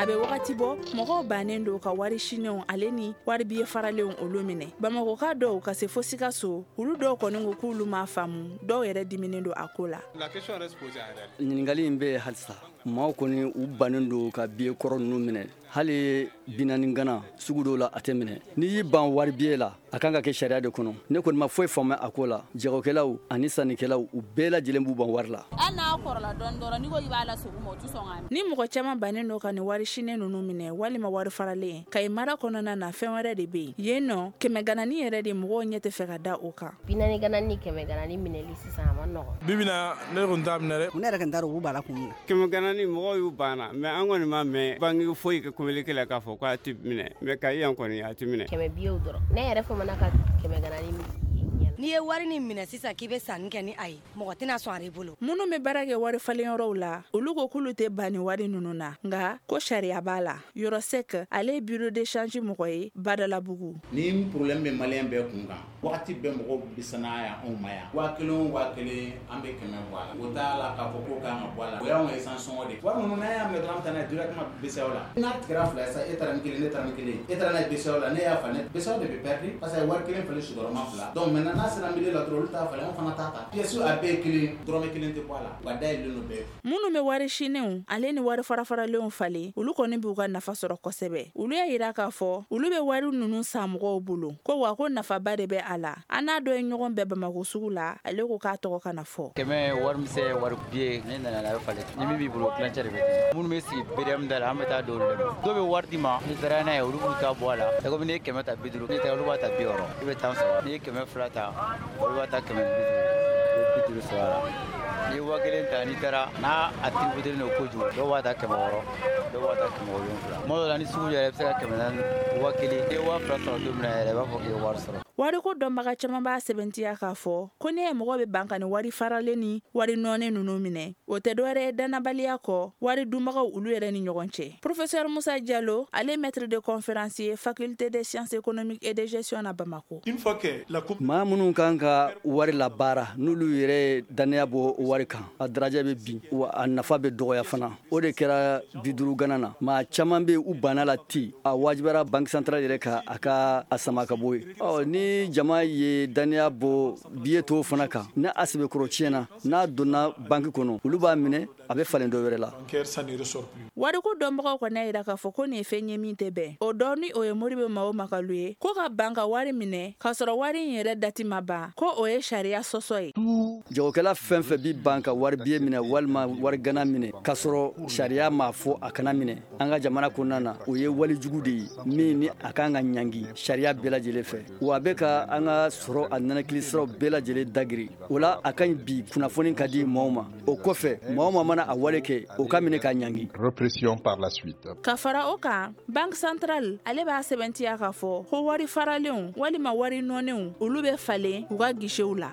A bɛ wagati bɔ, mɔgɔw bannen don ka wari sinenw ale ni wari biye faralenw olu minɛ. Bamakɔka dɔw ka se fo Sikaso, olu dɔw kɔni ko k'olu m'a faamu, dɔw yɛrɛ diminen don a ko la. Ɲininkali in bɛ halisa, maaw kɔni u bannen don ka biye kɔrɔ ninnu minɛ. Hali 40 gana sugu dɔw la, a tɛ minɛ. N'i y'i ban wari biye la, a kan ka kɛ sariya de kɔnɔ. Ne kɔni ma foyi faamuya a ko la. Jagokɛlaw ani sannikɛlaw, u bɛɛ lajɛlen b'u ban wari la. Hali n'a kɔrɔla dɔɔni dɔrɔn, n'i ko k'i b'a lasegin u ma, u tɛ sɔn k'a minɛ. Ni mɔgɔ caman bannen don ka nin wari sinen ninnu minɛ walima wari faralen, Kayi mara kɔnɔna na, fɛn wɛrɛ de bɛ yen nɔ. 100 ganani yɛrɛ de, mɔgɔw ɲɛ tɛ fɛ ka da o kan. 40 ganani ni 100 ganani minɛli sisan, a ma nɔgɔn. Bi bi na, ne kɔni t'a minɛ dɛ. Ne yɛrɛ kɔni t'a dɔn u b'a la kun min na. 100 ganani, mɔgɔw y'u banna, mais an kɔni ma mɛn banque foyi ka communiqué la k'a fɔ k'a tɛ minɛ, mais Kayi yan kɔni, a tɛ minɛ. 100 biyew dɔrɔn, ne yɛrɛ famana ka 100 ganani ɲɛ. N'i ye wari ni minɛ sisan k'i bɛ sanni kɛ ni a ye, mɔgɔ tɛna sɔn a bolo. Minnu bɛ baara kɛ wari falenyɔrɔw la, olu ko k'olu tɛ ban ni wari ninnu na, nka ko sariya b'a la. Yɔrɔ Sek, ale ye bureau de change mɔgɔ ye Badalabugu. Ni problème bɛ malien bɛɛ kun kan, wagati bɛɛ mɔgɔw bɛ sanaya yan anw ma yan. 1000 o 1000, an bɛ 100 bɔ a la. O t'a la k'a fɔ ko kan ka bɔ a la. O y'anw ka essence sɔngɔ de ye. Wari ninnu, n'an y'a minɛ dɔrɔn, an bɛ taa n'a ye directement BCEAO la. N'a tigɛra fila ye sisan, e taara ni kelen, ne taara ni kelen, e taara n'a ye BCEAO la, ne y'a falen, BCEAO de bɛ perdu parce que wari kelen falen sigiyɔrɔma fila. Donc maintenant, n'a sera milieu la dɔrɔn, olu t'a falen, anw fana t'a ta. Pièce a bɛɛ ye kelen, dɔrɔmɛ kelen tɛ bɔ a la. Wa dayɛlɛlen don bɛɛ. Minnu bɛ wari sinenw ale ni wari farafaralenw falen, olu kɔni b'u ka nafa sɔrɔ kosɛbɛ. Olu y'a yira k'a fɔ olu bɛ wari ninnu san mɔgɔw bolo, ko wa ko nafaba de bɛ a la. An n'a dɔ ye ɲɔgɔn bɛɛ Bamakɔ sugu la, ale ko k'a tɔgɔ kana fɔ. 100 wari misɛn, wari biye, ne nana n'a bɛ falen. Ni min b'i bolo, tilancɛ de bɛ di. Minnu bɛ sigi BDM da la, an bɛ taa don olu de ma. Dɔw bɛ wari d'i ma, n'i taara n'a ye, olu b'u ta bɔ a la. C'est comme n'i ye 100 ta 50, n'i taara olu b'a ta 60, i bɛ 10 sɔrɔ. N'i ye 200 ta, olu b'a ta 150, i bɛ 50 sɔrɔ a la. N'i ye 1000 ta, n'i taara n'a a tiributelen don kojugu, dɔw b'a ta 600, dɔw b'a ta 700. Tuma dɔw la, ni sugu jɛra, i bɛ se ka 400, 1000, n'i ye 2000 sɔrɔ don min na yɛrɛ, i b'a fɔ k'i ye wari sɔrɔ. Wariko dɔnbaga caman b'a sɛbɛntiya k'a fɔ ko ne ye mɔgɔ bɛ ban ka ni wari faralen ni wari nɔɔni ninnu minɛ, o tɛ dɔwɛrɛ ye dannabaliya kɔ wari dunbagaw olu yɛrɛ ni ɲɔgɔn cɛ. Professeur Musa Jalo, ale maître de conférence ye faculté des sciences économiques et de gestion na Bamako. Maa minnu kan ka wari labaara, n'olu yɛrɛ ye dannaya bɔ wari kan, a darajɛ bɛ bin, wa a nafa bɛ dɔgɔya fana. O de kɛra 50 gana na. Maa caman bɛ u banna la ten, a wajibiyara banque centrale yɛrɛ ka a ka a sama ka bɔ yen. Ɔ ni jama ye dannaya bɔ biye tɔw fana kan, ni a sɛbɛkɔrɔ tiɲɛna, n'a donna banque kɔnɔ, olu b'a minɛ, a bɛ falen dɔ wɛrɛ la. Wariko dɔnbagaw kɔni y'a jira k'a fɔ ko nin ye fɛn ye min tɛ bɛn. O dɔ ni o ye Modibo Mao Makalu ye, ko ka ban ka wari minɛ k'a sɔrɔ wari in yɛrɛ dati ma ban, ko o ye sariya sɔsɔ ye. Jagokɛla fɛn fɛn bi ban ka wari biye minɛ walima wari gana minɛ k'a sɔrɔ sariya m'a fɔ a kana minɛ an ka jamana kɔnɔna na, o ye walejugu de ye min ni a kan ka ɲangi sariya bɛɛ lajɛlen fɛ. Wa a bɛ ka an ka sɔrɔ a nɛnɛkili siraw bɛɛ lajɛlen dagiri. O la, a ka ɲi bi kunnafoni ka di maaw ma. O kɔfɛ, maa o maa mana a wale kɛ, o ka minɛ ka ɲangi. Répression par la suite. Ka fara o kan, banque centrale ale b'a sɛbɛntiya k'a fɔ ko wari faralenw walima wari nɔnenw, olu bɛ falen u ka guichetw la.